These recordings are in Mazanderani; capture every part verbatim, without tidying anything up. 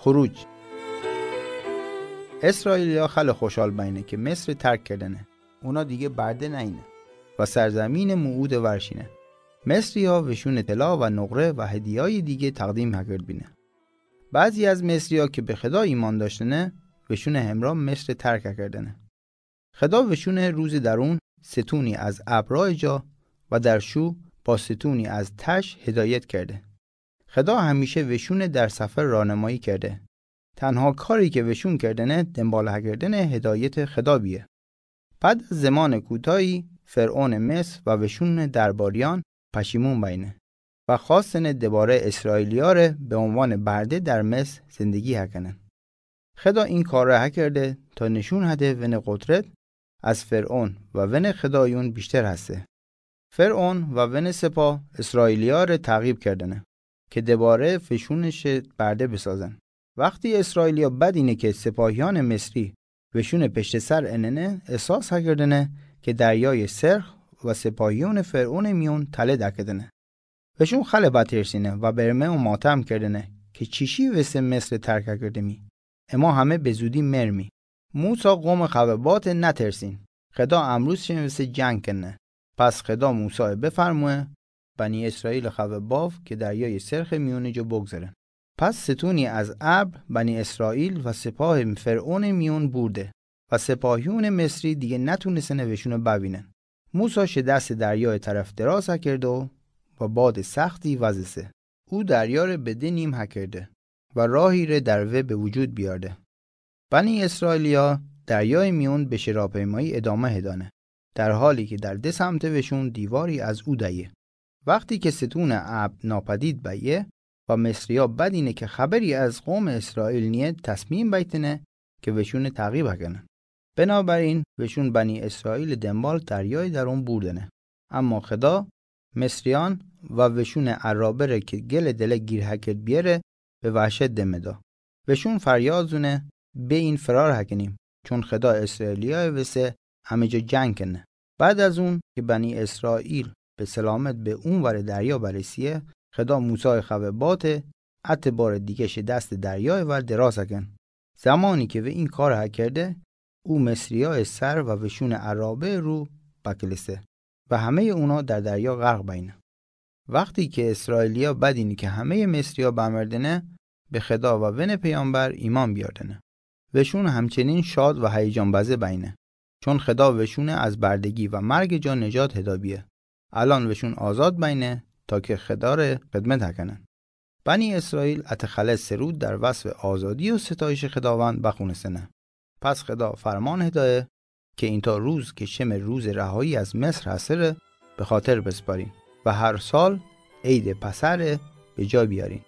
خروج. اسرائیلیا خیلی خوشحال باینه که مصر ترک کردنه. اونا دیگه برده نینه و سرزمین موعود ورشینه. مصری ها وشون طلا و نقره و هدیه‌های دیگه تقدیم هکرد بینه. بعضی از مصری ها که به خدا ایمان داشتنه، وشون همراه مصر ترک هکردنه. خدا وشون روز درون ستونی از ابر راه جا و در شو با ستونی از تش هدایت کرده. خدا همیشه وشون در سفر راهنمایی کرده. تنها کاری که وشون کردنه دنبال هکردن هدایت خدا بیه. بعد از زمان کوتاهی فرعون مصر و وشون درباریان پشیمون بینه و خواستنه دوباره اسرائیلی‌ها ره به عنوان برده در مصر زندگی هکنن. خدا این کار را هکرده تا نشون هده ون قدرت از فرعون و ون خدایون بیشتر هسته. فرعون و ون سپاه اسرائیلی‌ها ره تعقیب کردنه که دوباره وشونش برده بسازن. وقتی اسرائیلیا بدینه که سپاهیان مصری وشون پشت سر اننه، احساس هکردنه که دریای سرخ و سپاهیان فرعون میون تله دکدنه. وشون خیلی بترسینه و برمه و ماتم کردنه که چیشی وسه مصر ترک کردمی. اما همه به زودی مرمی. موسی قوم خبه بات نترسین. خدا امروز شن وسه جنگ کنه. پس خدا موسی بفرموه بنی اسرائیل خبه باف که دریای سرخ میون جا بگذرن. پس ستونی از ابر بنی اسرائیل و سپاه فرعون میون بورده و سپاهیون مصری دیگه نتونستنه وشونو ببینن. موسی شه دست دریای طرف دراز کرد و، و باد سختی وزسه. او دریا ره به ده نیم هکرده و راهی ره در وه به وجود بیارده. بنی اسرائیلیا دریای میون به شراپیمایی ادامه هدانه، در حالی که در ده سمت وشون دیواری از او دهیه. وقتی که ستون ابر ناپدید بیه و مصریا بدینه که خبری از قوم اسرائیل نیه، تصمیم بیتنه که وشون تعقیب هکنه. بنابراین وشون بنی اسرائیل دنبال دریای درون بوردنه. اما خدا مصریان و وشون عرابه ره که گل دله گیر هکرد بیه ره به وحشت دمه دا. وشون فریاد زونه: بئین فرار هکنیم، چون خدا اسرائیلیا وسه همه جا جنگ کنه. بعد از اون که بنی اسرائیل به سلامت به اون ور دریا برسیه، خدا موسی خبه باته ات بار دیگه شه دست دریا ور دراز کن. زمانی که وه این کار هکرده، او مصریای سر و وشون عرابه رو بکلسه و همه اونا در دریا غرق بینه. وقتی که اسرائیلیا بدینه که همه مصریا بمردنه، به خدا و ون پیامبر ایمان بیاردنه. وشون همچنین شاد و هیجان بزه بینه، چون خدا وشون از بردگی و مرگ جا نجات هدا بیه. الان وشون آزاد بینه تا که خدا ره خدمت هکنن. بنی اسرائیل ات خلع سرود در وصف آزادی و ستایش خداوند بخونستنه. پس خدا فرمان هدایه که اینطا روز که شم روز رهایی از مصر هسته ره به خاطر بسپارین و هر سال عید پسح ره به جا بیارین.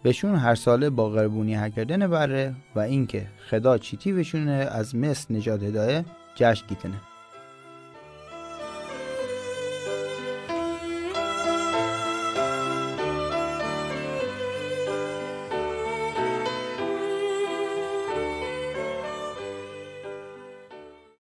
وشون هر ساله با قربونی هکردن بره و اینکه خدا چیتی وشون ره از مصر نجات هدایه جشن گیتنه.